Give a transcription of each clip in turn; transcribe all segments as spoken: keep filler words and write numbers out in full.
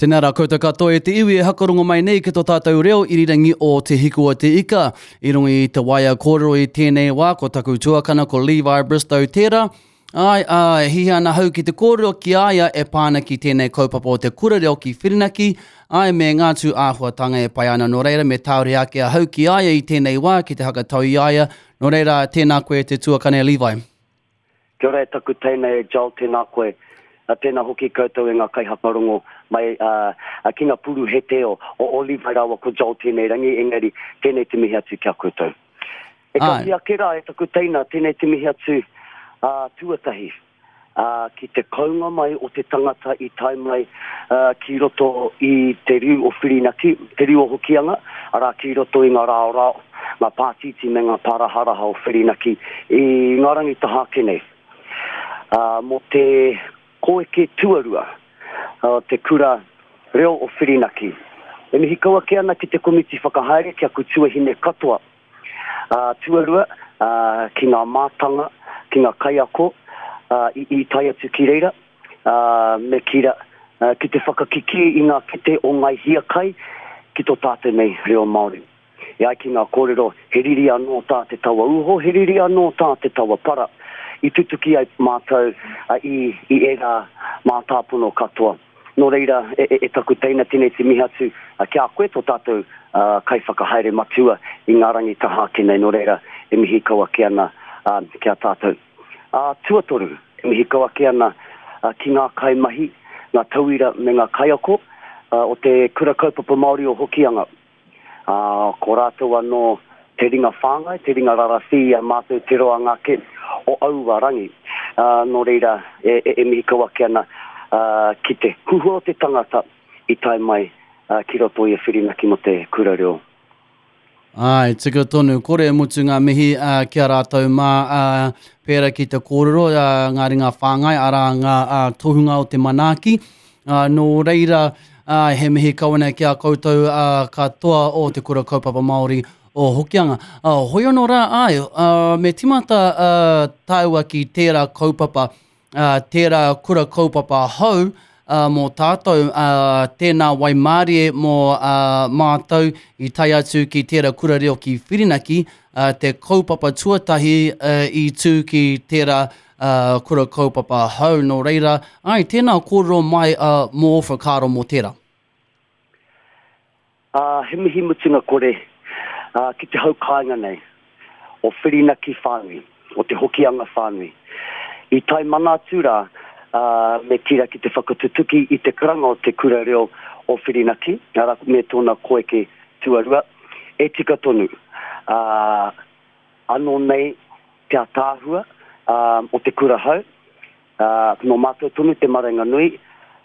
Tēnā rā koutou katoa e te iwi e hakarongo mai nei ki tō tātou reo irirangi o Te Hiku o Te Ika. I runga i te waea kōrero i tēnei wā, ko taku tuakana ko Levi Bristow tērā. Ai, ā, e hiahia ana hau ki te kōrero ki a ia e pā ana ki tēnei kaupapa o te kura reo ki Whirinaki, ai, me ngā tū āhuatanga e pai ana. Nō reira, me tāore ake ahau ki a ia i tēnei wā ki te hakatau i a ia. Nō reira, tēnā koe te tuakana e Levi. Kia ora e taku teina e Joel, tēnā koe. Tēnā hoki koutou e ngā kaihakarongo mai uh, ki ngā puruhete o, o, o Levi rāua ko Joel tēnei rangi, engari tēnei te mihi atu ki a koutou. E kati ake rā e taku teina, tēnei te mihi atu uh, tuatahi uh, ki te kounga mai o te tangata i tae mai uh, ki roto i te riu o Whirinaki, te riu o Hokianga, arā ki roto i ngā raorao, ngā pātītī me ngā pāraharaha o Whirinaki i ngā rangi taha ake nei. Uh, mō te koeke tuarua uh, te kura reo o Whirinaki. E mihi kau ake ana ki te komiti whakahaere ki aku tuahine katoa. Uh, tuarua, uh, ki ngā mātanga, ki ngā kaiako uh, i, i tae atu ki reira, uh, me kira, uh, ki te whakakiki i ngā kete o ngai hiakai ki tō tātou nei reo Māori. E ai ki ngā kōrero, he riri anō tā te tawa uho, he riri anō tā te tawa para. I tutuki ai mātou uh, i, i ērā mātāpono katoa. Nō reira, e, e, e taku teina tēnei te mihi atu uh, ki a koe tō tātou uh, kaiwhakahaere matua i ngā rangi taha ake nei. Nō reira, e mihi kau ake ana uh, ki a tātou. Uh, tuatoru, e mihi kau ake ana uh, ki ngā kaimahi, ngā tauira me ngā kaiako uh, o te Kura Kaupapa Māori o Hokianga. Uh, ko rātou anō te ringa whāngai, te ringa rarawhi i a mātou te roanga ake o aua rangi. Uh, nō reira, e, e, e mihi kau ake ana uh, ki te huhua o te tangata i tae mai uh, ki roto i a Whirinaki mō te kura reo. Ai, tika tonu, kore e mutu ngā mihi uh, ki a rātou mā uh, pērā ki te kōrero, uh, ngā ringa whāngai, arā ngā uh, tohunga o te manaaki. Uh, nō reira, uh, he mihi kau ana ki a koutou uh, katoa o te Kura Kaupapa Māori o Hokianga. Uh, hoi anō rā, ai, uh, me timata uh, tāua ki tērā kaupapa, uh, tērā kura kaupapa hou, uh, mō tātou, uh, tēnā waimārie mō uh, mātou i tae atu ki tērā kura reo ki Whirinaki, uh, te kaupapa tuatahi uh, i tū ki tērā uh, kura kaupapa hou. Nō reira, ai, tēnā kōrero mai uh, mō whakaaro mō tērā. Uh, he mihi mutunga kore uh, ki te hau kāinga nei, o Whirinaki whānui, o te Hokianga whānui. I tae mana atu rā, uh, me tira ki te whakatutuki i te karanga o te kura reo o Whirinaki, arā me tōna koeke tuarua, e tika tonu. Uh, anō nei te ataahua uh, o te kura hau, uh, nō mātou tonu te marenga nui,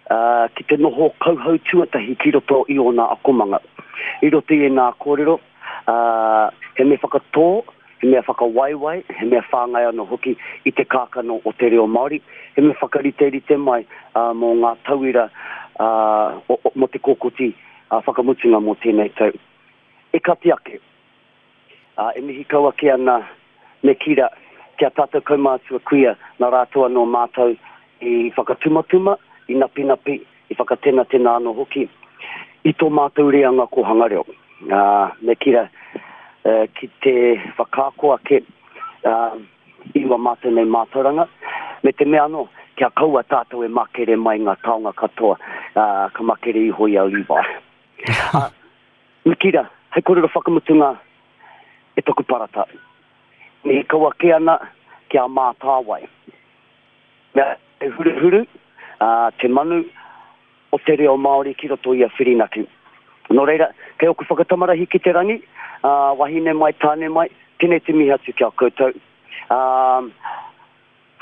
uh, ki te noho kauhau tuatahi ki roto i ōna akomanga. I roto i ēnā kōrero, uh, he mea whakatō, he mea whakawaiwai, he mea whāngai anō hoki i te kākano o te reo Māori, he mea whakariterite mai uh, mō ngā tauira uh, o, o, mō te kōkoti uh, whakamutunga mō tēnei tau. E kati ake, uh, e mihi kau ake ana me kira kia tātou kaumātua kuia nā rātou anō mātou i whakatumatuma, i napinapi, i whakatenatena anō hoki i tō mātou reanga kōhanga reo. Uh, me kira uh, ki te whakaako ake uh, i wā mātou nei mātauranga, me te mea anō, kia kaua tātou e makere mai ngā taonga katoa, uh, ka makere iho i a Levi. Uh, me kira, hei kōrero whakamutunga e taku parata. Me kau ake ana ki a mātāwai. Mea e huruhuru, uh, te manu o te reo Māori ki roto i a Whirinaki. Nō reira, kei oku whakatamarahi ki te rangi, uh, wahine mai, tāne mai, tēnei te mihi atu ki a koutou. Um,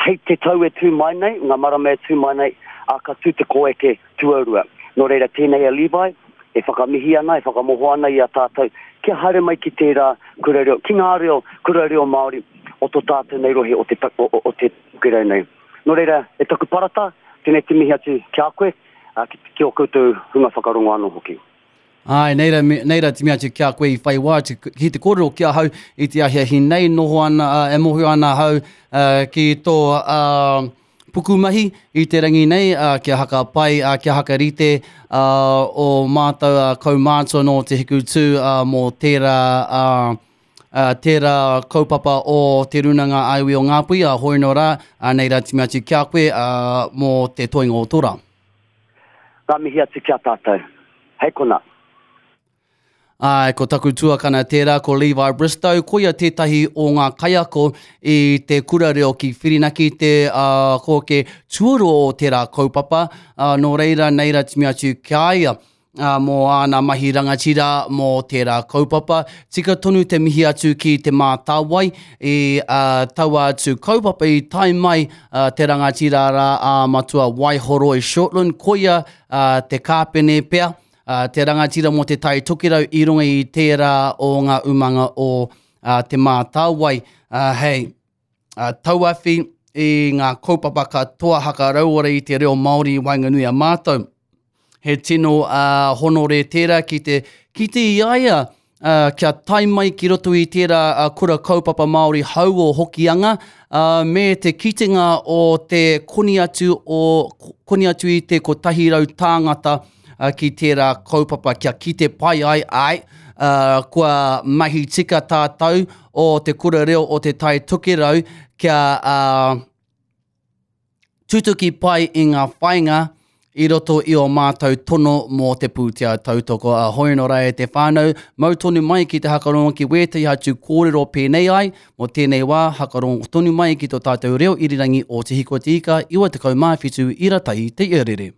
hei te tau e tū mai nei, ngā marama e tū mai nei, a ka tū te koeke tuarua. Nō reira, tēnei a Levi, e whakamihi ana, e whakamoho ana i a tātou, kia haere mai ki tērā kura reo, ki ngā reo, kura reo Māori o tō tātou nei rohe o te, o, o, o te tokerau nei. Nō reira, e taku parata, tēnei te mihi atu ki a koe, uh, ki, ki o koutou hunga whakarongo anō hoki. Ai, nei rā, nei rā te mea atu ki a koe i whai wā te, ki te kōrero ki ahau i te ahiahi nei noho ana, uh, e mōhio ana ahau uh, ki tō, uh, pukumahi i te rangi nei, uh, kia haka pai, uh, kia hakarite uh, o mātou uh, kaumātua nō Te Hikutū uh, mō tērā, uh, uh, tērā kaupapa o Te Rūnanga Aiwi o Ngāpuhi, a hoi nō rā, uh, nei rā timi atu ki a koe uh, mō te toenga o tō rā. Ngā mihi atu ki a tātou. Hei kona. Ai, ko taku tuakana tērā, ko Levi Bristow, koia tētahi o ngā kaiako i te kura reo ki Whirinaki, te uh, kōke tuarua o tērā kaupapa, uh, nō reira, nei rā timi atu ki a ia, uh, mō āna mahi rangatira mō tērā kaupapa. Tika tonu te mihi atu ki Te Mātāwai i uh, taua atu kaupapa i tae mai uh, te rangatira rā a Matua Waihoroi Shortland, koia uh, te kāpene pea, Uh, te rangatira mō te Tai Tokerau i runga i tērā o ngā umanga o uh, Te Mātāwai. Uh, hei, uh, tauawhi i ngā kaupapa katoa hakarauora i te reo Māori i waenganui a mātou. He tino uh, honore tērā ki te kite i a ia, uh, kia tae mai ki roto i tērā uh, kura kaupapa Māori hau o Hokianga, uh, me te kitenga o te koni atu, o, koni atu i te kotahi rau tāngata ki tērā kaupapa kia kite pai ai, ai, uh, kua mahi tika tātou o te kura reo o te Tai Tokerau kia uh, tutuki pai i ngā whainga i roto i o mātou tono mō te pūtea tautoko. A hoi nō rā e te whānau, mau tonu mai ki te hakarongo ki wētahi atu kōrero pēnei ai, mō tēnei wā, hakarongo tonu mai ki tō tātou reo irirangi o Te Hiko Te Ika, iwa tekau mā whitu ira tahi te iarere.